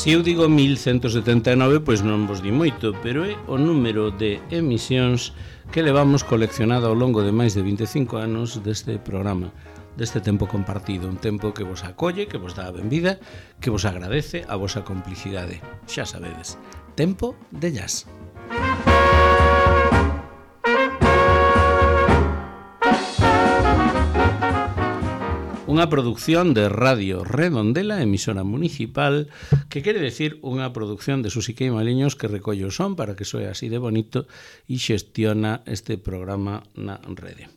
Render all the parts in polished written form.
Se eu digo 1179, pois non vos di moito, pero é o número de emisións que levamos coleccionado ao longo de máis de 25 anos deste programa, deste tempo compartido, un tempo que vos acolle, que vos dá a benvida, que vos agradece a vosa complicidade. Xa sabedes, tempo de jazz. Unha produción de Radio Redondela, emisora municipal, que quere decir unha produción de Susique e Maliños que recolle o son para que soe así de bonito e xestiona este programa na rede.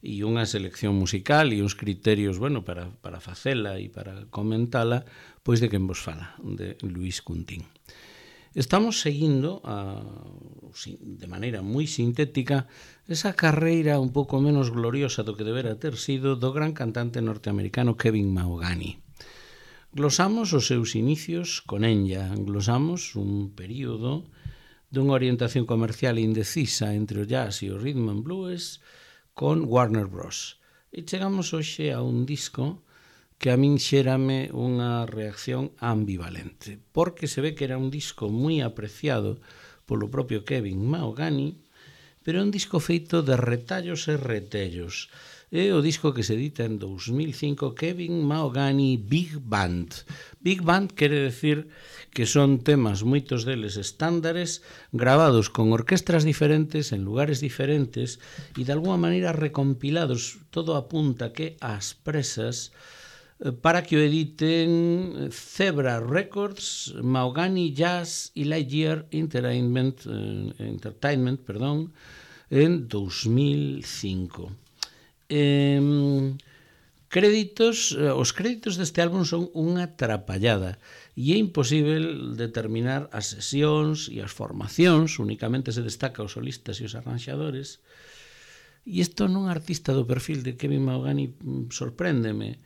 E unha selección musical e uns criterios, bueno, para facela e para comentala, pois de quen vos fala, de Luis Cuntín. Estamos seguindo, de maneira moi sintética, esa carreira un pouco menos gloriosa do que debera ter sido do gran cantante norteamericano Kevin Mahogany. Glosamos os seus inicios con Enya, glosamos un período dunha orientación comercial indecisa entre o jazz e o rhythm and blues con Warner Bros. E chegamos hoxe a un disco que a min xérame unha reacción ambivalente, porque se ve que era un disco moi apreciado polo propio Kevin Mahogany, pero é un disco feito de retallos e retellos. É o disco que se edita en 2005, Kevin Mahogany Big Band. Big Band quere decir que son temas, moitos deles estándares, gravados con orquestras diferentes, en lugares diferentes, e de alguma maneira recompilados, todo apunta que ás presas, para que o editen Zebra Records, Mahogany Jazz e Lightyear Entertainment, en 2005. Os créditos deste álbum son unha trapallada e é imposible determinar as sesións e as formacións, únicamente se destaca os solistas e os arranxadores, e isto nun artista do perfil de Kevin Mahogany sorpréndeme.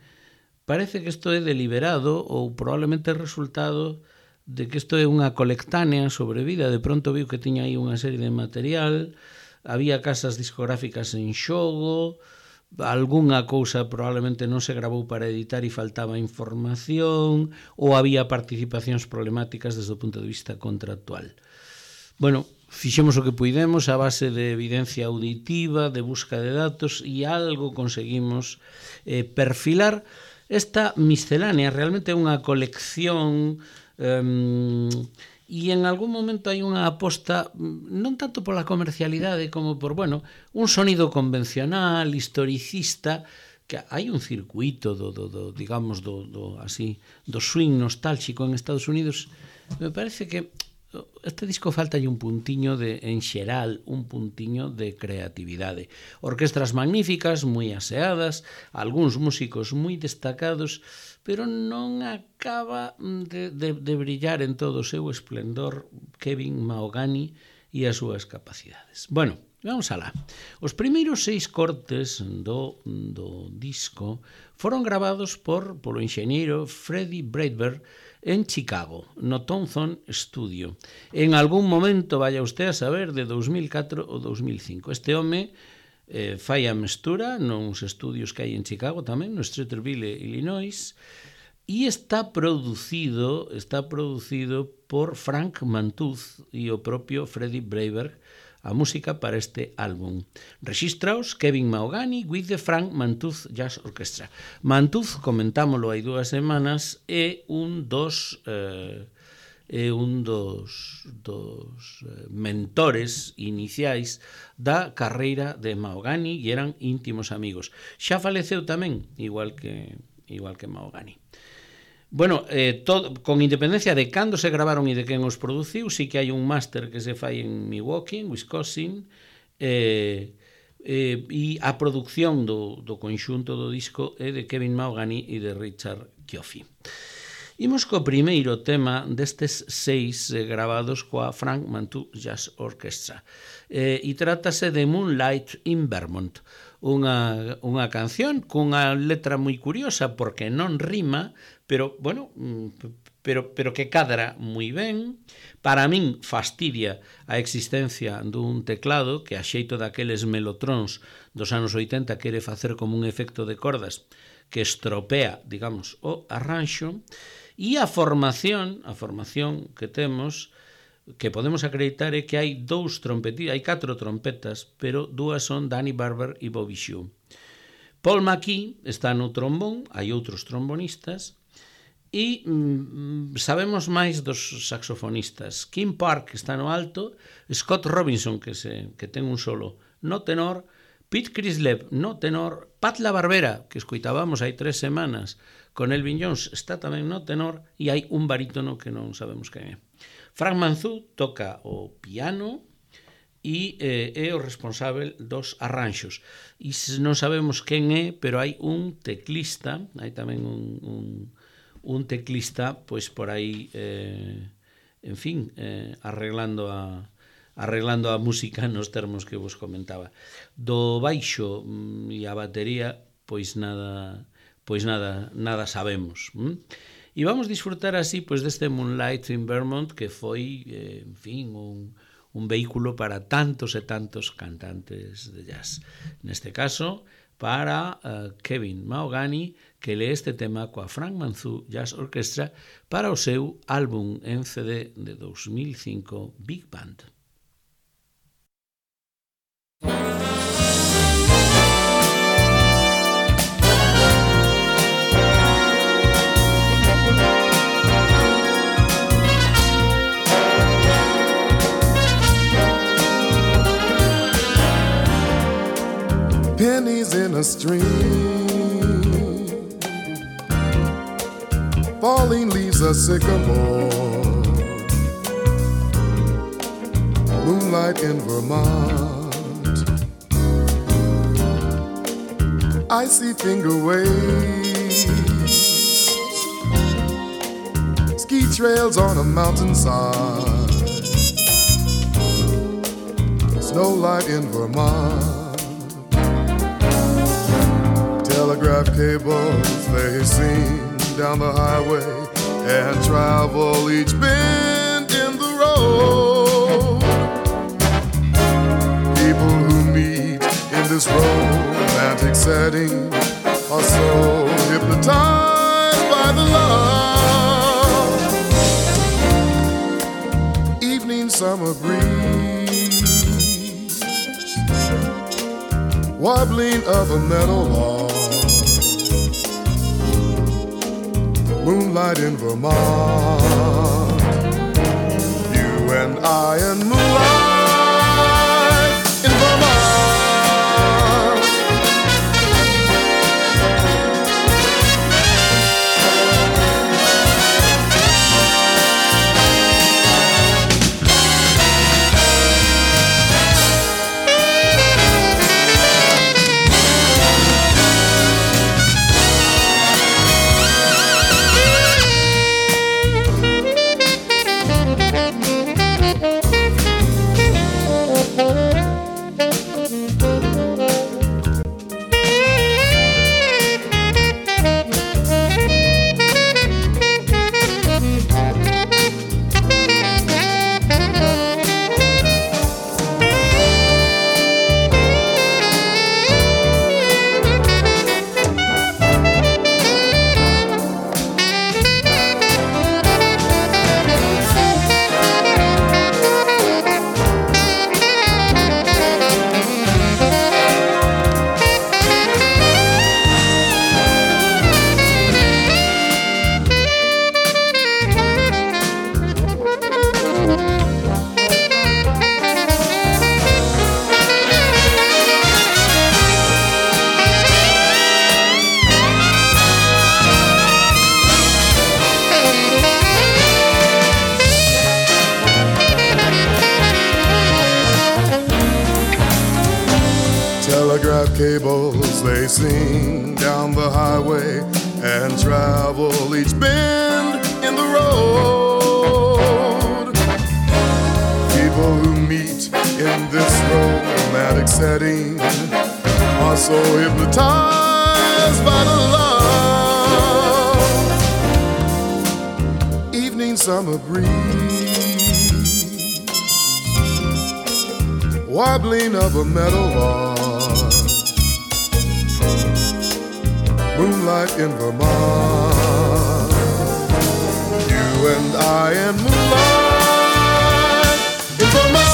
Parece que isto é deliberado ou probablemente resultado de que isto é unha colectánea sobrevida. De pronto viu que tiña aí unha serie de material, había casas discográficas en xogo, algunha cousa probablemente non se gravou para editar e faltaba información, ou había participacións problemáticas desde o punto de vista contractual. Bueno, fixemos o que puidemos a base de evidencia auditiva, de busca de datos, e algo conseguimos perfilar. Esta miscelánea realmente é unha colección e en algún momento hai unha aposta non tanto pola comercialidade como por, bueno, un sonido convencional, historicista, que hai un circuito do swing nostálxico en Estados Unidos. Me parece que este disco faltalle un puntiño en xeral, un puntiño de creatividade. Orquestras magníficas, moi aseadas, algúns músicos moi destacados, pero non acaba de brillar en todo o seu esplendor Kevin Mahogany e as súas capacidades. Bueno, vamos alá. Os primeiros 6 cortes do disco foron gravados polo enxeñeiro Freddie Breitberg en Chicago, no Thompson Studio. En algún momento, vaya usted a saber, de 2004 ou 2005. Este home fai a mestura nos estudios que hai en Chicago tamén, no Streeterville, Illinois, e está producido por Frank Mantuz e o propio Freddie Breitberg, a música para este álbum. Rexístraos Kevin Mahogany with the Frank Mantuz Jazz Orchestra. Mantuz, comentámoslo hai 2 semanas, é un dos mentores iniciais da carreira de Mahogany e eran íntimos amigos. Xa faleceu tamén, igual que Mahogany. Bueno, con independencia de cando se gravaron e de quen os produciu, sí que hai un máster que se fai en Milwaukee, en Wisconsin, e a produción do conxunto do disco é de Kevin Mahogany e de Richard Cioffi. Imos co primeiro tema destes 6 gravados coa Frank Mantuz Jazz Orchestra, e trátase de Moonlight in Vermont, unha canción cunha letra moi curiosa porque non rima, pero, bueno, pero que cadra moi ben. Para min fastidia a existencia dun teclado que a xeito daqueles melotróns dos anos 80 quere facer como un efecto de cordas que estropea, digamos, o arranxo. E a formación que temos, que podemos acreditar, é que hai 4 trompetas, pero 2 son Danny Barber e Bobby Shue. Paul McKee está no trombón, hai outros trombonistas, e sabemos máis dos saxofonistas. Kim Park está no alto, Scott Robinson, que ten un solo no tenor, Pete Crislev no tenor, Pat LaBarbera, que escoitábamos hai 3 semanas, con Elvin Jones, está tamén no tenor, e hai un barítono que non sabemos quen é. Frank Manzou toca o piano e é o responsável dos arranxos. E non sabemos quen é, pero hai un teclista, hai tamén un teclista, pois por aí, en fin, arreglando a música nos termos que vos comentaba. Do baixo e a batería, pois nada sabemos. E vamos disfrutar así pois deste Moonlight in Vermont, que foi, en fin, un vehículo para tantos e tantos cantantes de jazz. Neste caso, para Kevin Mahogany, que lee este tema coa Frank Manzou Jazz Orchestra para o seu álbum en CD de 2005, Big Band. Pennies in a stream, falling leaves a sycamore, moonlight in Vermont, icy finger waves, ski trails on a mountainside, snowlight in Vermont. Telegraph cables, they sing down the highway and travel each bend in the road. People who meet in this romantic setting are so hypnotized by the love. Evening summer breeze, wobbling of a meadow lark, moonlight in Vermont, you and I and moonlight in Vermont. Telegraph cables, they sing down the highway and travel each bend in the road. People who meet in this romantic setting are so hypnotized by the love. Evening summer breeze, wobbling of a meadow lark, moonlight in Vermont, you and I in moonlight in Vermont.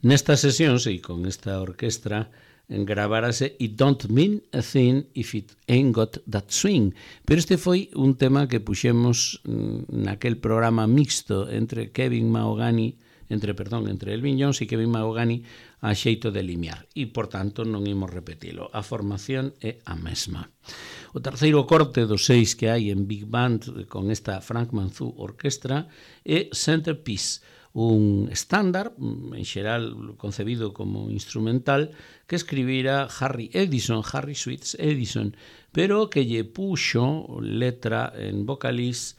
Nestas sesións e con esta orquestra gravárase It Don't Mean a Thing If It Ain't Got That Swing, pero este foi un tema que puxemos naquel programa mixto entre Elvin Jones e Kevin Mahogany a xeito de limiar e, por tanto, non imos repetilo. A formación é a mesma. O terceiro corte dos 6 que hai en Big Band con esta Frank Manzou orquestra é Centerpiece, un estándar, en xeral concebido como instrumental, que escribira Harry Sweets Edison, pero que lle puxo letra en vocalís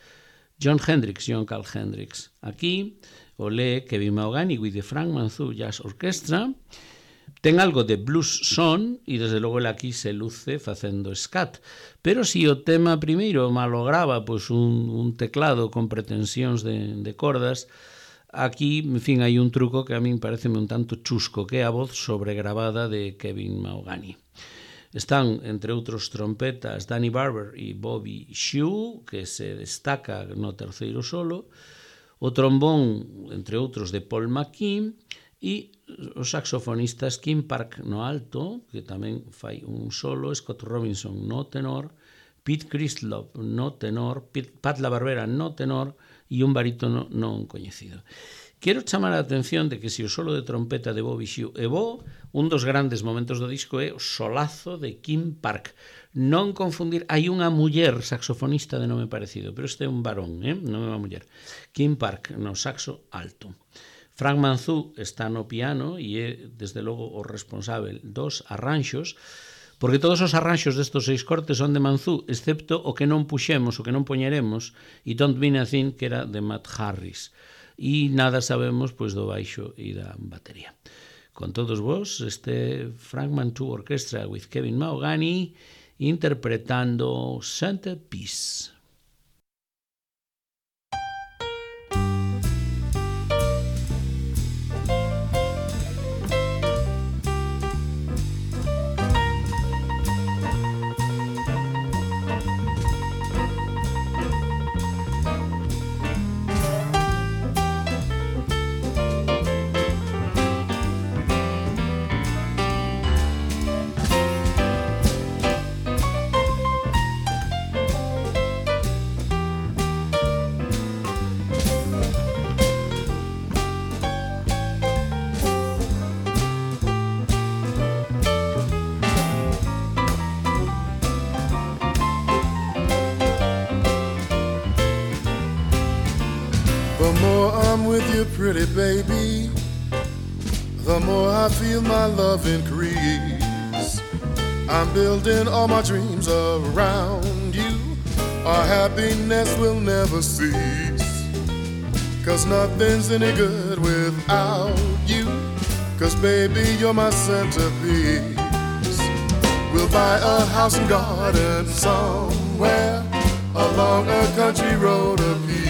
John Carl Hendricks. Aquí o lee Kevin Mahogany with the Frank Manzou Jazz Orchestra. Ten algo de blues son e desde logo el aquí se luce facendo scat, pero si o tema primeiro malograba pois un teclado con pretensións de cordas, aquí, en fin, hai un truco que a min pareceme un tanto chusco, que é a voz sobregravada de Kevin Mahogany. Están, entre outros trompetas, Danny Barber e Bobby Shew, que se destaca no terceiro solo, o trombón, entre outros, de Paul McKean, e os saxofonistas Kim Park no alto, que tamén fai un solo, Scott Robinson no tenor, Pete Christlop no tenor, Pat LaBarbera no tenor, e un barítono non coñecido. Quero chamar a atención de que se o solo de trompeta de Bobby Shew é bo, un dos grandes momentos do disco é o solazo de Kim Park. Non confundir, hai unha muller saxofonista de nome parecido, pero este é un varón, non é unha muller. Kim Park no saxo alto. Frank Manzou está no piano e é, desde logo, o responsável dos arranxos, porque todos os arranxos destos 6 cortes son de Manzou, excepto o que non puxemos, o que non poñeremos, e Don't Mean a Thing, que era de Matt Harris. E nada sabemos pois do baixo e da batería. Con todos vos, este Frank Manzou Orchestra with Kevin Mahogany interpretando Centerpiece. Pretty baby, the more I feel my love increase. I'm building all my dreams around you. Our happiness will never cease. 'Cause nothing's any good without you. 'Cause baby, you're my centerpiece. We'll buy a house and garden somewhere along a country road of peace.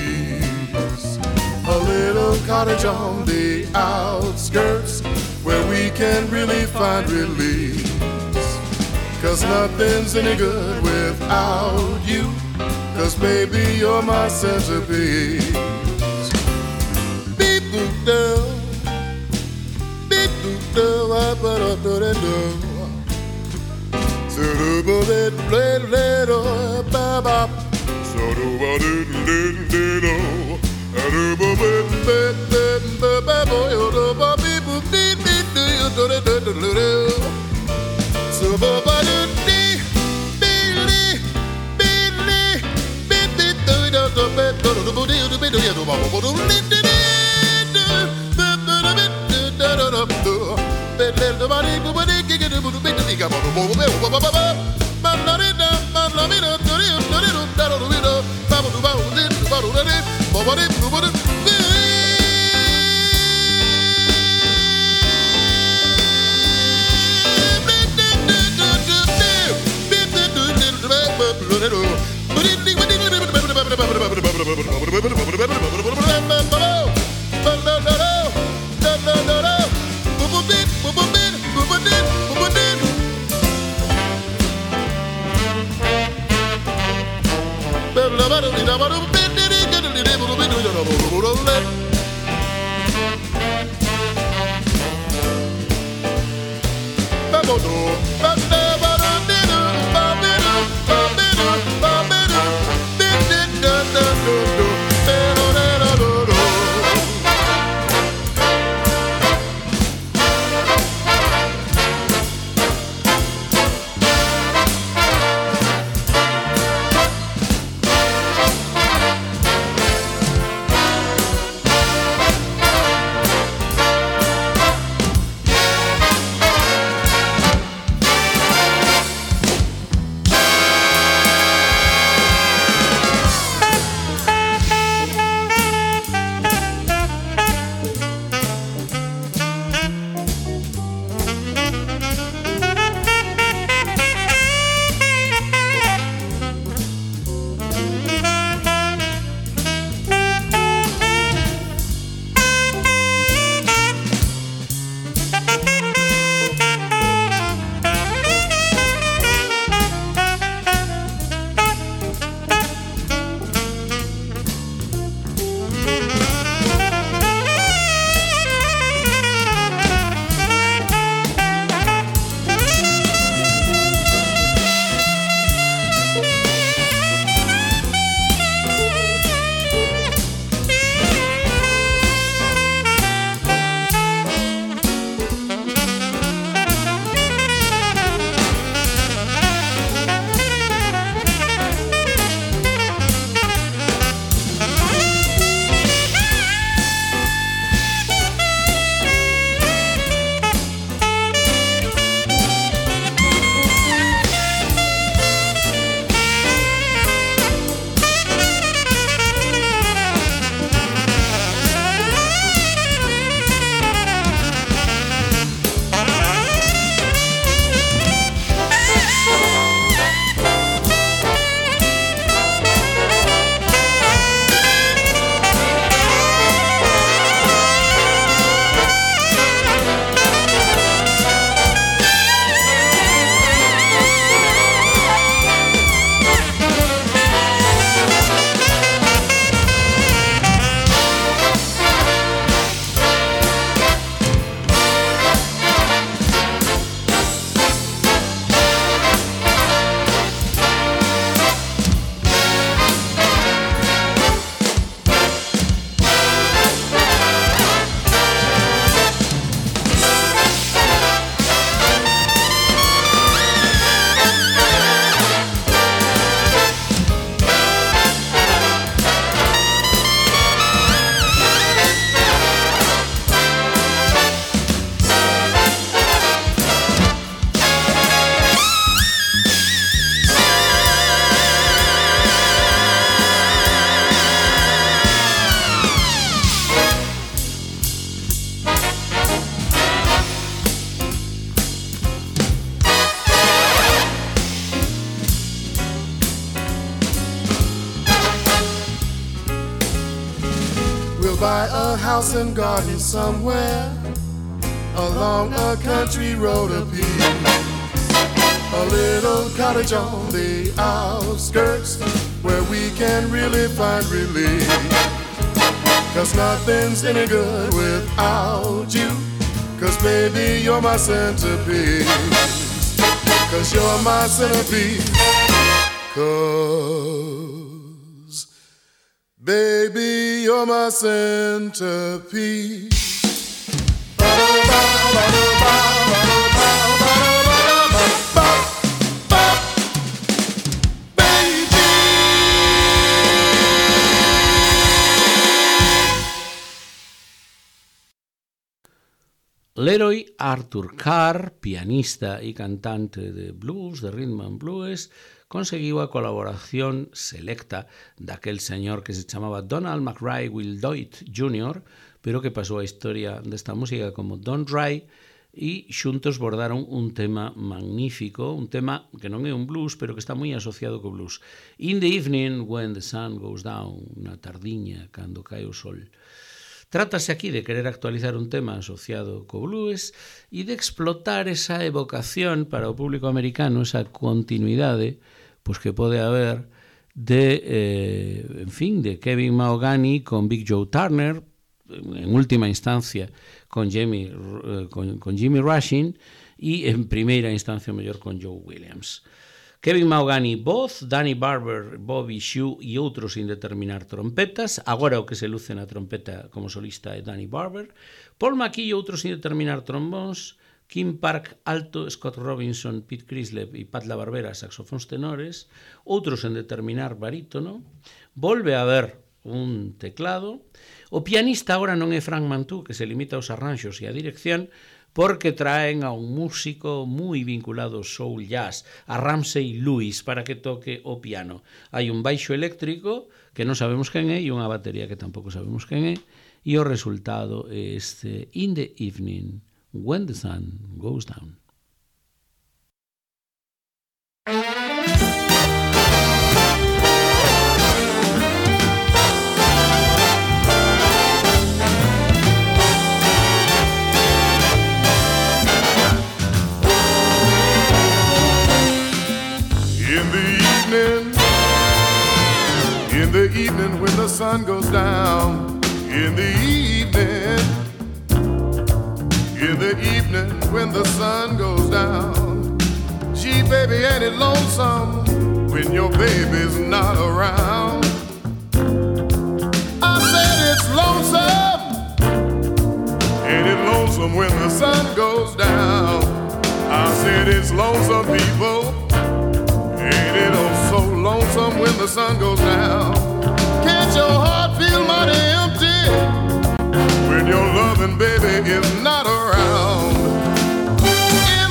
A little cottage on the outskirts where we can really find release. 'Cause nothing's any good without you. 'Cause baby, you're my centerpiece. Beep boop do, beep boop do, ba da do da do. So do ba da da da ba ba. So do ba da da da. buy a house and garden somewhere along a country road of peace. A little cottage on the outskirts where we can really find relief. 'Cause nothing's any good without you. 'Cause baby, you're my centerpiece. 'Cause you're my centerpiece. 'Cause baby, you're my centerpiece. Ba-da-ba-ba-ba-ba-ba-ba-ba-ba-ba-ba-ba. Leroy Arthur Carr, pianista e cantante de blues, de rhythm and blues, conseguiu a colaboración selecta daquel señor que se chamaba Donald McRae Wildoit Jr., pero que pasou a historia desta música como Don Dry, e xuntos bordaron un tema magnífico, un tema que non é un blues, pero que está moi asociado co blues. In the evening when the sun goes down, na tardiña, cando cae o sol. Trátase aquí de querer actualizar un tema asociado co blues e de explotar esa evocación para o público americano, esa continuidade pois que pode haber de, de Kevin Mahogany con Big Joe Turner, en última instancia con Jimmy Rushing e en primeira instancia mellor con Joe Williams. Kevin Mahogany voz, Danny Barber, Bobby Shue e outros sin determinar trompetas. Agora o que se luce na trompeta como solista é Danny Barber. Paul McKee e outros sin determinar trombóns. Kim Park alto, Scott Robinson, Pete Crislev e Pat LaBarbera saxofóns tenores. Outros en determinar barítono. Volve a haber un teclado. O pianista agora non é Frank Mantú, que se limita aos arranxos e a dirección, porque traen a un músico moi vinculado ao soul jazz, a Ramsey Lewis, para que toque o piano. Hai un baixo eléctrico que non sabemos quen é e unha batería que tampouco sabemos quen é, e o resultado é este In the Evening when the sun goes down. In the evening when the sun goes down, in the evening when the sun goes down, gee baby, ain't it lonesome when your baby's not around? I said it's lonesome, ain't it lonesome when the sun goes down? I said it's lonesome, people, ain't it oh so lonesome when the sun goes down? Can't your heart feel mighty empty when your loving baby is not around? In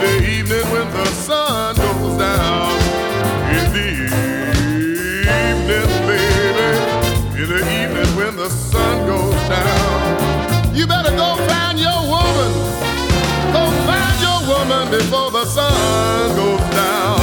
the evening when the sun goes down, in the evening, baby, in the evening when the sun goes down, you better go find your woman, go find your woman before the sun goes down.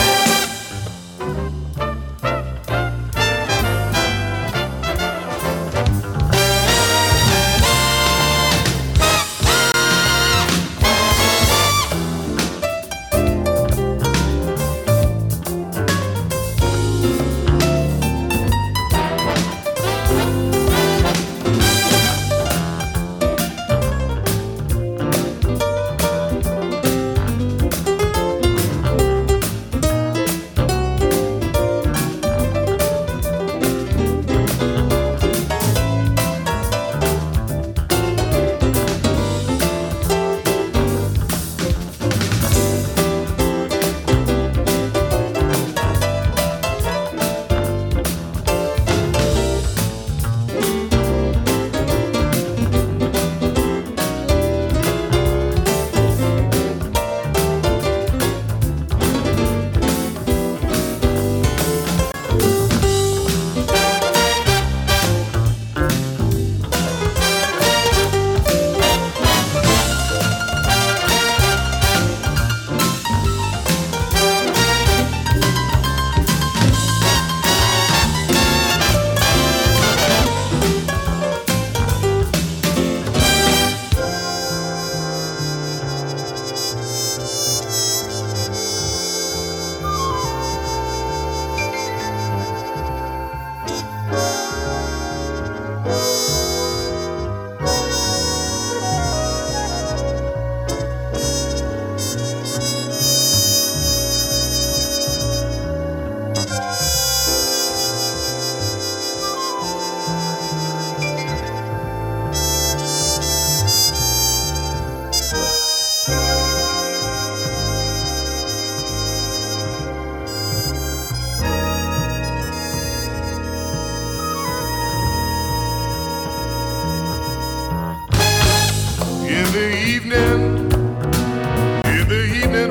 the evening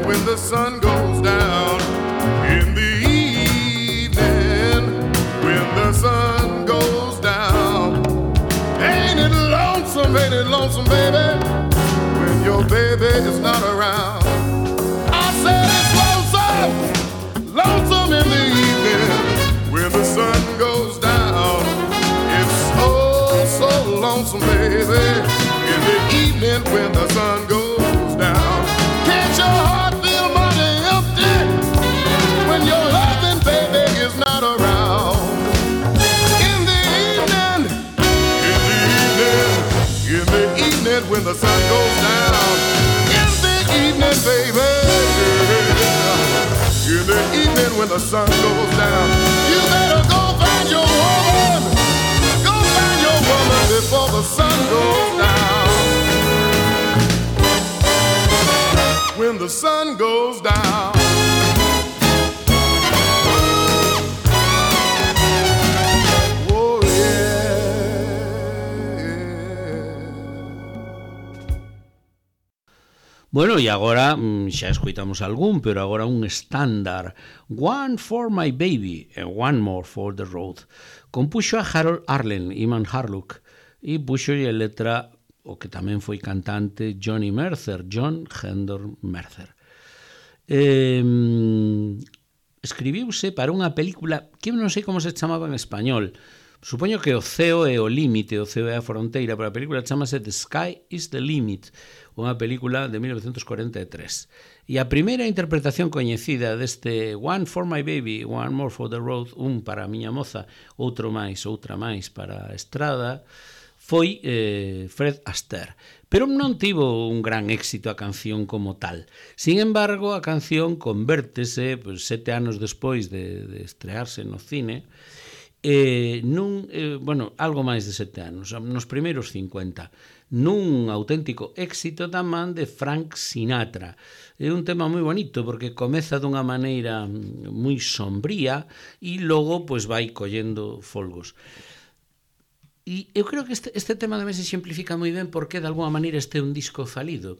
when the sun goes down, in the evening when the sun goes down. Ain't it lonesome, baby, when your baby is not around. I said it's lonesome in the evening when the sun goes down. It's so lonesome, baby, in the evening when the sun goes down. Can't your heart feel mighty empty when your loving baby is not around? In the evening when the sun goes down. In the evening, baby. In the evening when the sun goes down. You better go find your woman. Go find your woman before the sun goes down. When the sun goes down. Oh yeah. Bueno, e agora xa escoitamos algún, pero agora un estándar, One for My Baby and One More for the Road. Compuxo a Harold Arlen, Iman Harlock, e puxo a letra o que tamén foi cantante John Hendon Mercer. Escribiuse para unha película que non sei como se chamaba en español. Supoño que o ceo é o límite, o ceo é a fronteira, pero a película chamase The Sky is the Limit, unha película de 1943. E a primeira interpretación coñecida deste One for My Baby, One More for the Road, un para a miña moza, outra máis para a estrada, foi Fred Astaire. Pero non tivo un gran éxito a canción como tal. Sin embargo, a canción convértese, 7 anos despois de estrearse no cine, algo máis de 7 anos, nos primeiros 50, nun auténtico éxito da man de Frank Sinatra. É un tema moi bonito porque comeza dunha maneira moi sombría e logo vai collendo folgos. E eu creo que este tema tamén se exemplifica moi ben porque de alguma maneira este é un disco falido.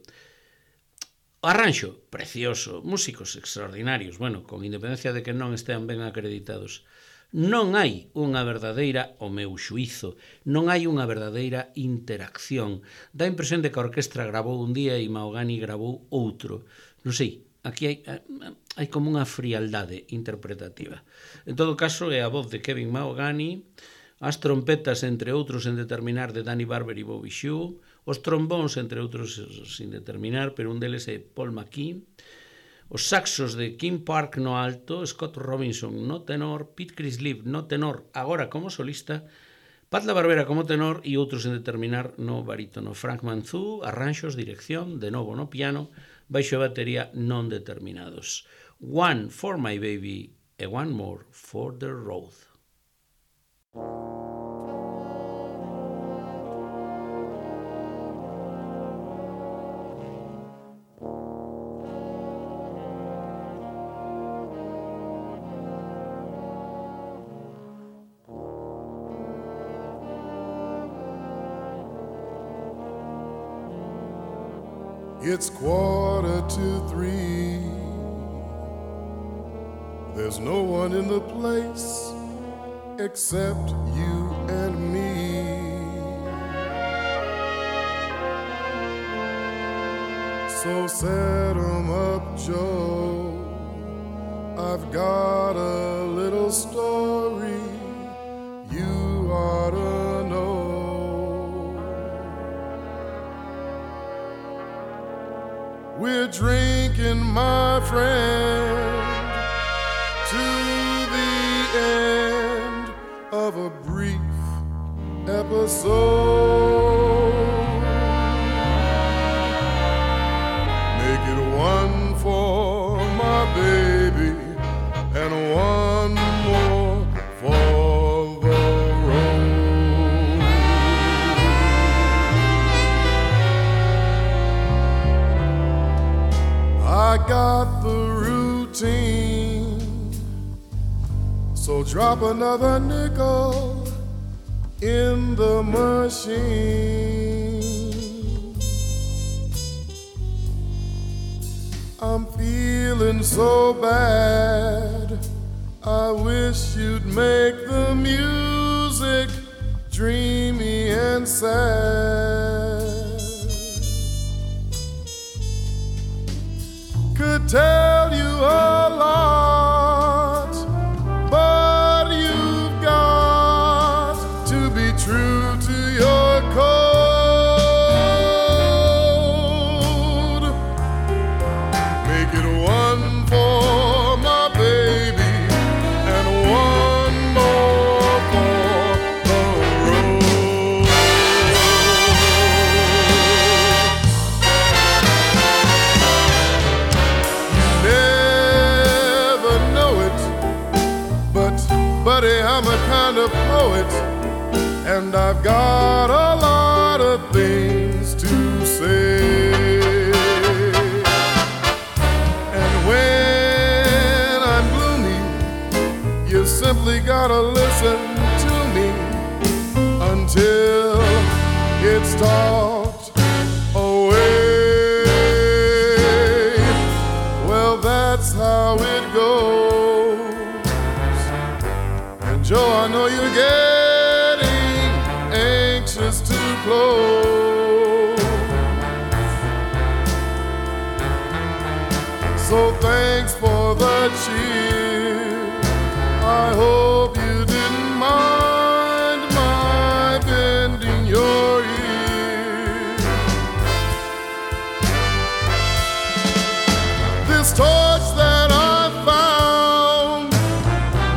O arranxo, precioso, músicos extraordinarios, con independencia de que non estean ben acreditados. Non hai unha verdadeira, o meu xuízo, non hai unha verdadeira interacción. Dá a impresión de que a orquestra gravou un día e Mahogany gravou outro. Non sei, aquí hai como unha frialdade interpretativa. En todo caso, é a voz de Kevin Mahogany, as trompetas, entre outros, en determinar, de Danny Barber e Bobby Shew, os trombóns, entre outros, sin determinar, pero un deles é Paul McKee, os saxos de Kim Park no alto, Scott Robinson no tenor, Pete Crislip no tenor, agora como solista, Pat LaBarbera como tenor e outros en determinar no barítono. Frank Manzou, arranxos, dirección, de novo no piano, baixo e batería non determinados. One for My Baby e One More for the Road. It's 2:45. There's no one in the place except you and me. So set 'em up, Joe. I've got a little story you ought to know. We're drinking, my friend, to the end of a brief episode. Make it one for my baby and one more for the road. I got the routine, so drop another nickel in the machine. I'm feeling so bad. I wish you'd make the music dreamy and sad. Could tell you a lot, but you've got to be true to your code. Make it one for my baby and one more for the road. You never know it, but buddy, I'm a kind of poet, and I've got a lot of things to say. And when I'm gloomy, you simply gotta listen to me until it's talked away. Well, that's how it goes. And Joe, I know you're getting anxious to close. So thanks for the cheer. I hope you didn't mind my bending your ear. This torch that I found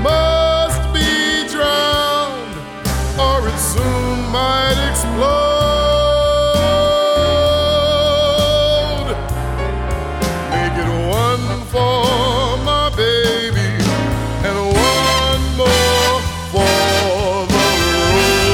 must be drowned, or it soon might explode. Make it one for my baby and one more for the road.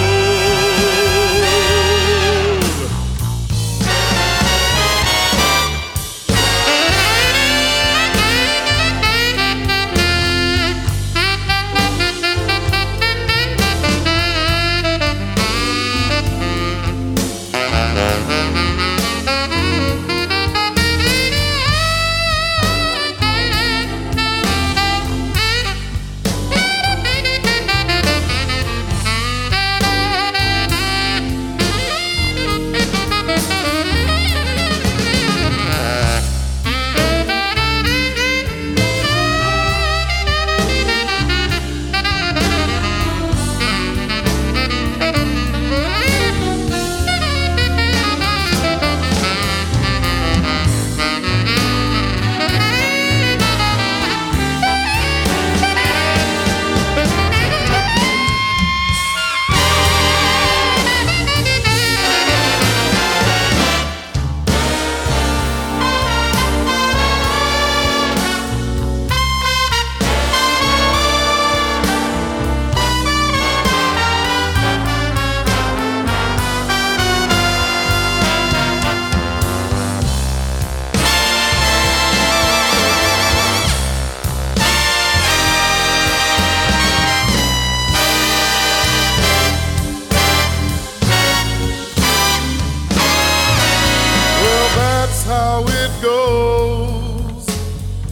How it goes.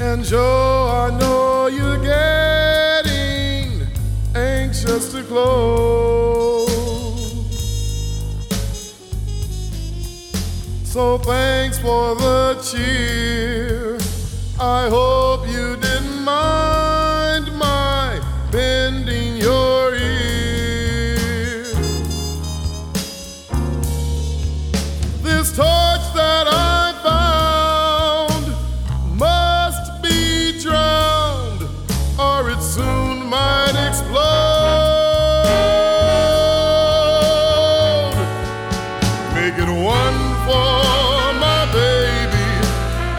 And Joe, I know you're getting anxious to close. So thanks for the cheer. I hope you didn't mind my bending your ear. This torch that I found must be drowned, or it soon might explode. Make it one for my baby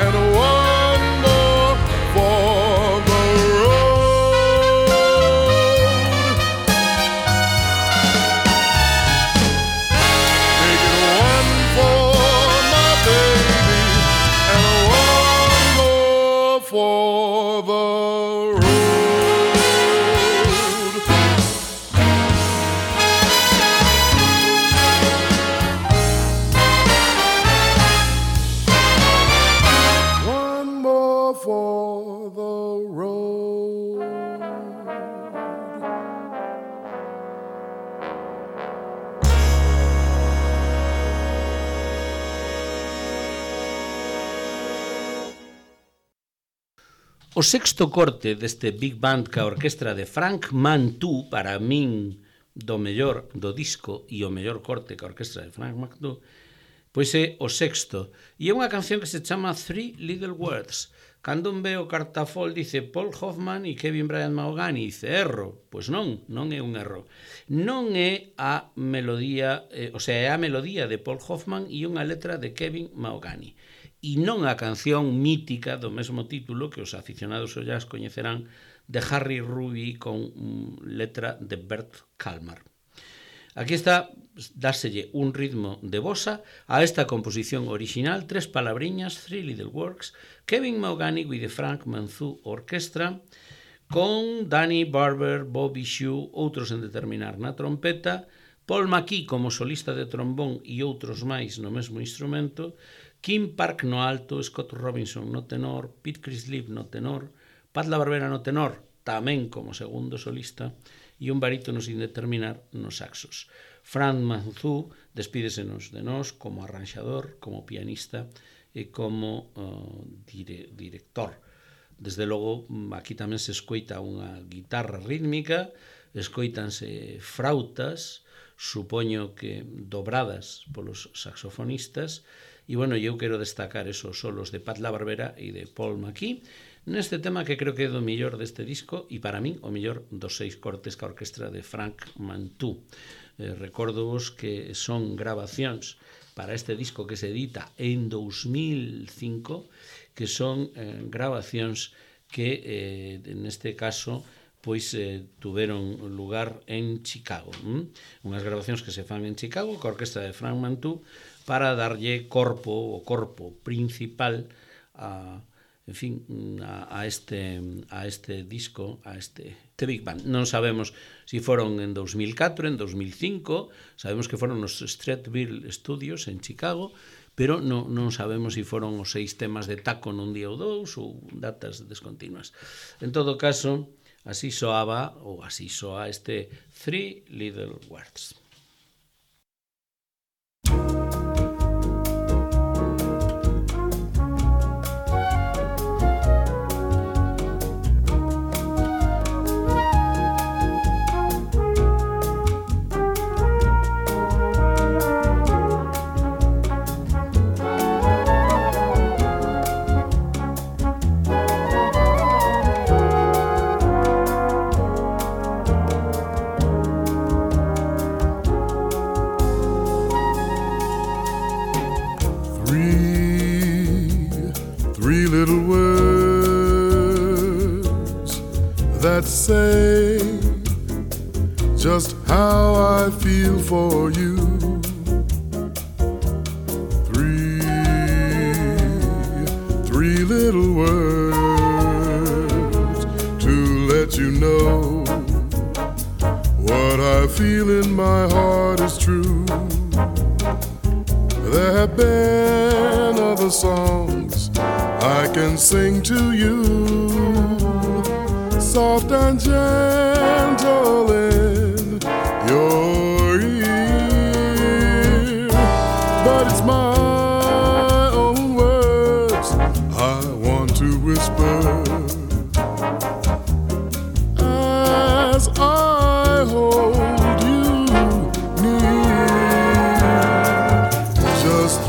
and one more for O sexto corte deste Big Band ca orquestra de Frank Mantu, para min do mellor do disco e o mellor corte ca orquestra de Frank Mantu, pois é o sexto. E é unha canción que se chama Three Little Words. Cando un ve o cartafol dice Paul Hoffman e Kevin Bryant Mahogany, dice erro. Pois non é un erro. Non é a melodía, é a melodía de Paul Hoffman e unha letra de Kevin Mahogany. E non a canción mítica do mesmo título que os aficionados ao jazz coñecerán de Harry Ruby con letra de Bert Kalmar. Aquí está, dáselle un ritmo de bossa a esta composición original, 3 palabriñas, Three Little Words, Kevin Mahogany with the Frank Mantu Orchestra, con Danny Barber, Bobby Shue, outros en determinar na trompeta, Paul McKee como solista de trombón e outros máis no mesmo instrumento, Kim Park no alto, Scott Robinson no tenor, Pete Chrislip no tenor, Pat LaBarbera no tenor, tamén como segundo solista, e un barítono sin determinar nos saxos. Frank Mantu despídesenos de nós como arranxador, como pianista e como director. Desde logo, aquí tamén se escoita unha guitarra rítmica, escoitanse frautas, supoño que dobradas polos saxofonistas, e, bueno, eu quero destacar esos solos de Pat LaBarbera e de Paul McKee, neste tema que creo que é do mellor deste disco e para min o mellor dos 6 cortes ca orquestra de Frank Mantu. Recórdovos que son grabacións para este disco que se edita en 2005, que son grabacións que neste caso pois tuveron lugar en Chicago. Unhas grabacións que se fan en Chicago ca orquestra de Frank Mantu para darlle o corpo principal a este disco, a este Big Band. Non sabemos se foron en 2004, en 2005, sabemos que foron nos Streetville Studios en Chicago, pero non sabemos se foron os 6 temas de taco nun día ou 2 ou datas descontinuas. En todo caso, así soa este Three Little Words. Three little words that say just how I feel for you. Three little words to let you know what I feel in my heart is true. There have been other songs I can sing to you, soft and gentle in your ear, but it's my own words I want to whisper as I hold you near. Just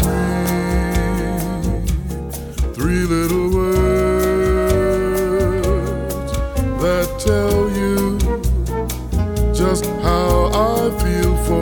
three little words that tell you just how I feel for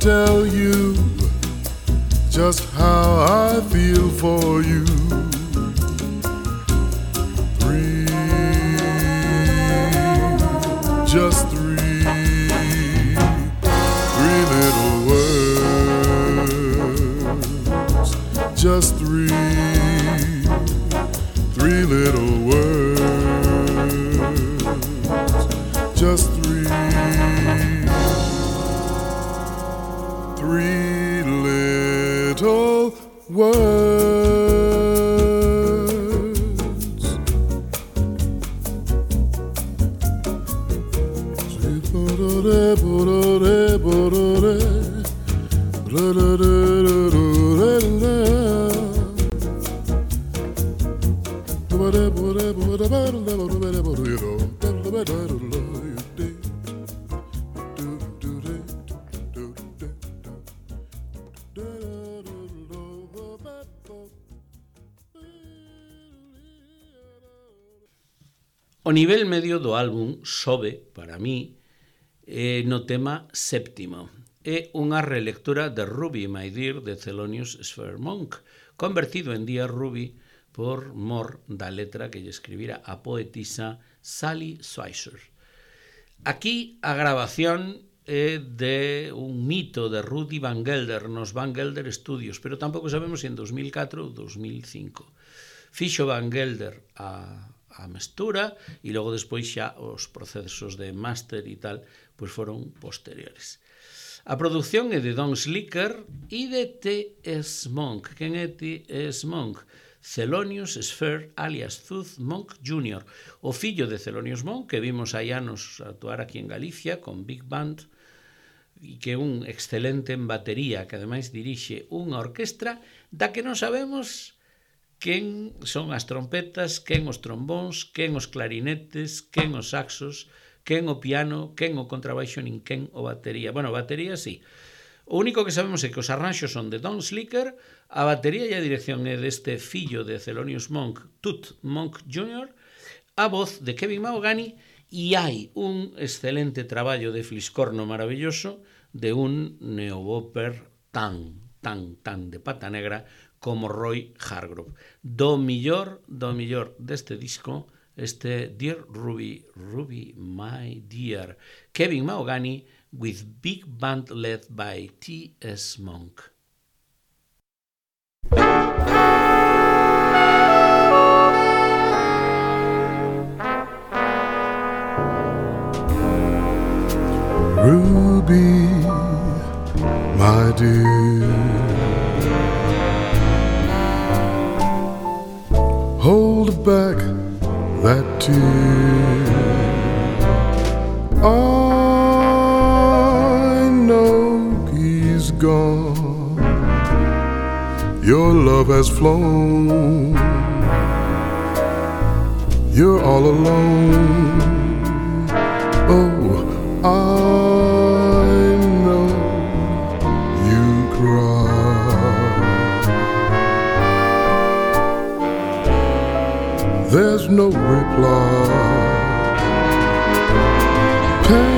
tell you just how I feel for you. Three, just three little words, just three little words, just three little words. O nivel medio do álbum sobe, para mí, no tema séptimo. É unha relectura de Ruby, My Dear, de Thelonious Sphere Monk, convertido en Dear Ruby por mor da letra que lle escribira a poetisa Sally Schweitzer. Aquí a grabación é de un mito de Rudy Van Gelder nos Van Gelder Studios, pero tampouco sabemos se en 2004 ou 2005. Fixo Van Gelder a mestura e logo despois xa os procesos de máster e tal pois foron posteriores. A produción é de Don Slicker e de T.S. Monk. Quen é T.S. Monk? Thelonious Sphere alias Tooth Monk Jr., o fillo de Thelonious Monk, que vimos hai anos actuar aquí en Galicia con Big Band, e que é un excelente en batería, que ademais dirixe unha orquestra da que non sabemos quen son as trompetas, quen os trombóns, quen os clarinetes, quen os saxos, quen o piano, quen o contrabaixo, nin quen o batería. Bueno, batería sí. O único que sabemos é que os arranxos son de Don Slicker, a batería e a dirección é deste fillo de Thelonious Monk, Tooth Monk Jr., a voz de Kevin Mahogany, e hai un excelente traballo de fliscorno maravilloso de un neobopper tan de pata negra como Roy Hargrove. Do millor deste disco, este Dear Ruby, Ruby My Dear, Kevin Mahogany with Big Band led by T.S. Monk. Ruby, my dear, hold back that tear. I know he's gone. Your love has flown. you're all alone. Oh, I know you cry. There's no reply. Pain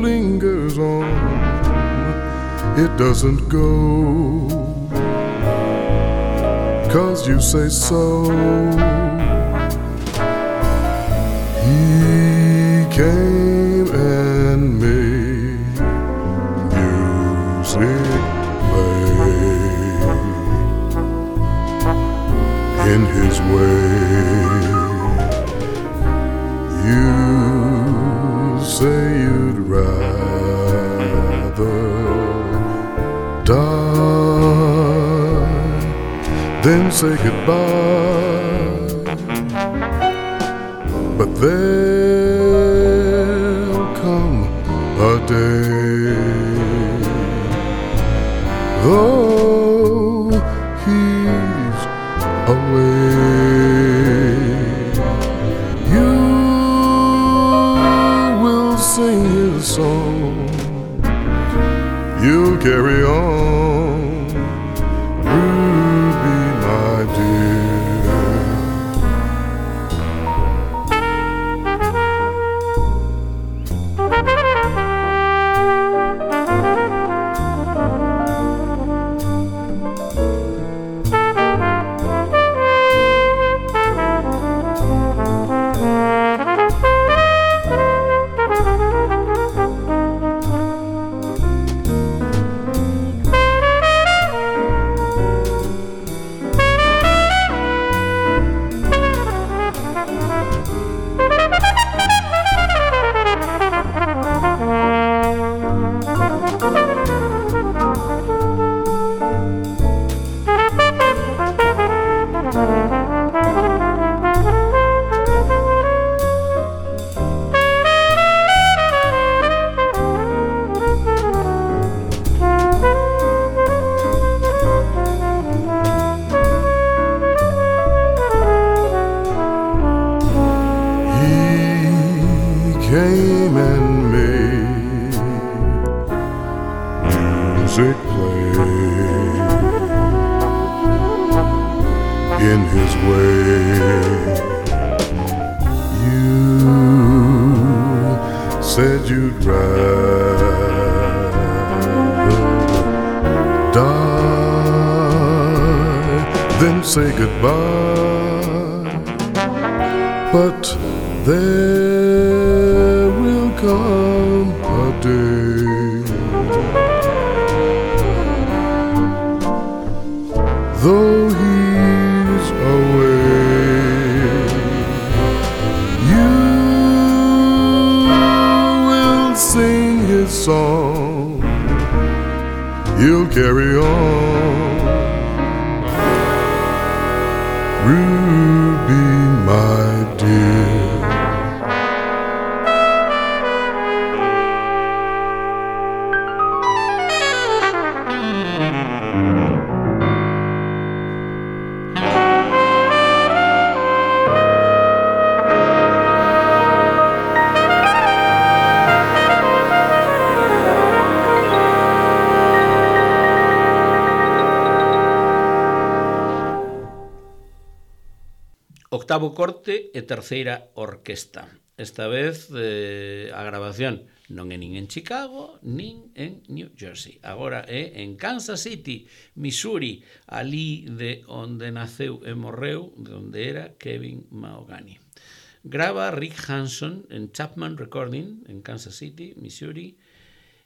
lingers on, it doesn't go, 'cause you say so. He came and made music play in his way. You say you'd rather die than say goodbye, but there'll come a day, though he's away, you will sing his song, you'll carry on, Ruby, my dear. Came and made music play in his way. You said you'd rather die than say goodbye, but there will come a day, though he's away, you will sing his song, you'll carry on, Ruby, my dear. Octavo corte e terceira orquesta. Esta vez a grabación non é nin en Chicago nin en New Jersey. Agora é en Kansas City, Missouri, ali de onde naceu e morreu, de onde era Kevin Mahogany. Grava Rick Hanson en Chapman Recording en Kansas City, Missouri.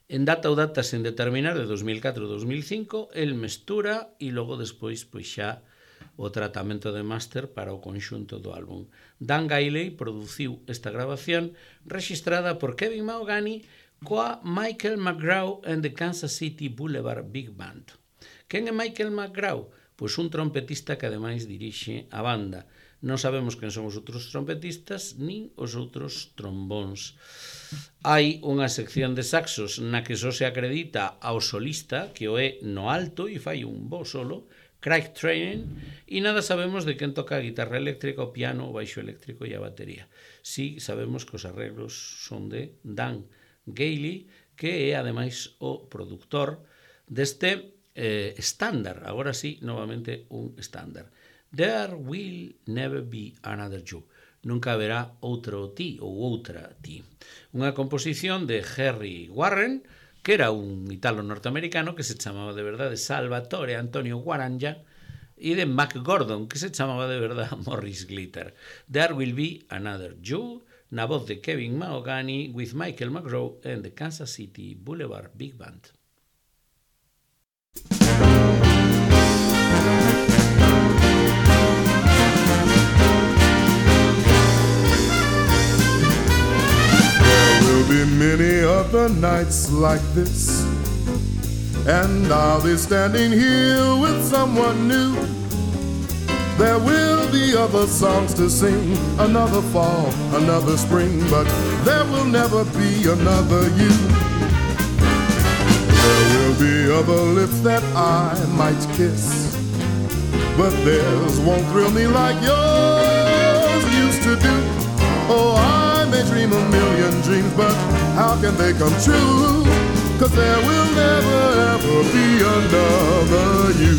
En data ou data sen determinar de 2004-2005, el mestura e logo despois pois xa o tratamento de máster para o conxunto do álbum. Dan Gailey produciu esta grabación registrada por Kevin Mahogany coa Michael McGraw and the Kansas City Boulevard Big Band. Quen é Michael McGraw? Pois un trompetista que ademais dirixe a banda. Non sabemos quen son os outros trompetistas nin os outros trombóns. Hai unha sección de saxos na que só se acredita ao solista, que o é no alto e fai un bo solo, Craig Training, e nada sabemos de quen toca a guitarra eléctrica, o piano, o baixo eléctrico e a batería. Sí sabemos que os arreglos son de Dan Gailey, que é ademais o produtor deste estándar, agora sí, novamente un estándar. There Will Never Be Another You. Nunca haberá outro ti ou outra ti. Unha composición de Harry Warren, que era un italo norteamericano que se chamaba de verdade Salvatore Antonio Guaranja, e de Mac Gordon, que se chamaba de verdade Morris Glitter. There Will Be Another You, na voz de Kevin Mahogany, with Michael McGraw and the Kansas City Boulevard Big Band. Be many other nights like this, and I'll be standing here with someone new. There will be other songs to sing, another fall, another spring, but there will never be another you. There will be other lips that I might kiss, but theirs won't thrill me like yours used to do. Oh, I may dream a million dreams, but how can they come true? 'Cause there will never ever be another you.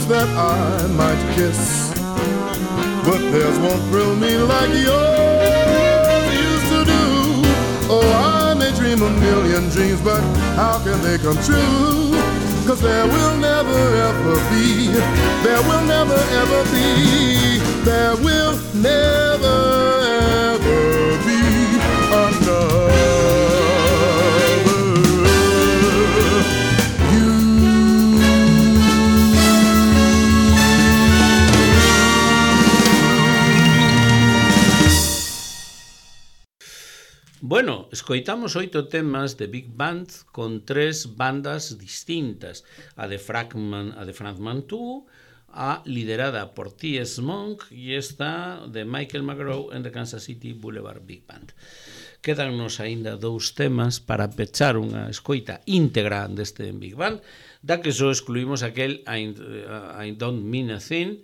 That I might kiss, but theirs won't thrill me like yours used to do. Oh, I may dream a million dreams, but how can they come true? 'Cause there will never ever be, there will never ever be, there will never ever be another. Bueno, escoitamos 8 temas de Big Band con 3 bandas distintas, a de Frank Mantua, a liderada por T.S. Monk e esta de Michael McGraw en the Kansas City Boulevard Big Band. Quédannos aínda 2 temas para pechar unha escoita íntegra deste Big Band, da que só excluímos aquel I Don't Mean a Thing,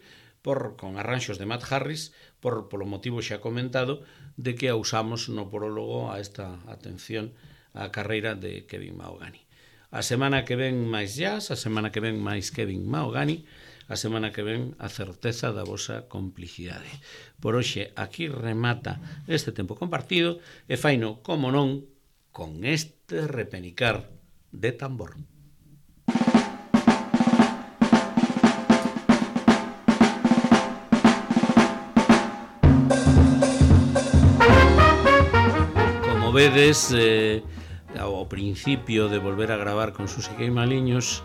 con arranxos de Matt Harris, polo motivo xa comentado, de que a usamos no prólogo a esta atención á carreira de Kevin Mahogany. A semana que ven máis jazz, a semana que ven máis Kevin Mahogany, a semana que ven a certeza da vosa complicidade. Por hoxe aquí remata este tempo compartido e faino, como non, con este repenicar de tambor. como vedes, ao principio de volver a gravar con Susi Queimaliños,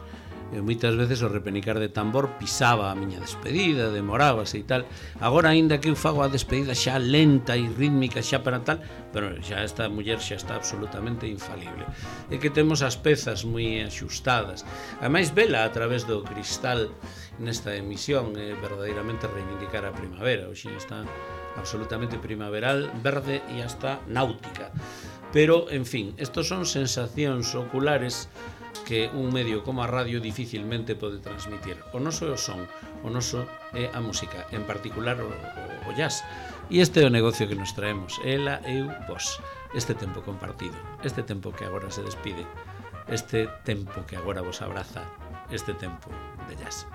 moitas veces o repenicar de tambor pisaba a miña despedida, demorábase e tal. Agora, aínda que eu fago a despedida xa lenta e rítmica, xa para tal, pero xa esta muller xa está absolutamente infalible. É que temos as pezas moi axustadas. Ademais, vela a través do cristal nesta emisión é verdadeiramente reivindicar a primavera. Hoxe está absolutamente primaveral, verde e hasta náutica. Pero, en fin, estos son sensacións oculares que un medio como a radio dificilmente pode transmitir. O noso é o son, o noso é a música, en particular o jazz. E este é o negocio que nos traemos, ela, eu, vos. Este tempo compartido, este tempo que agora se despide, este tempo que agora vos abraza, este tempo de jazz.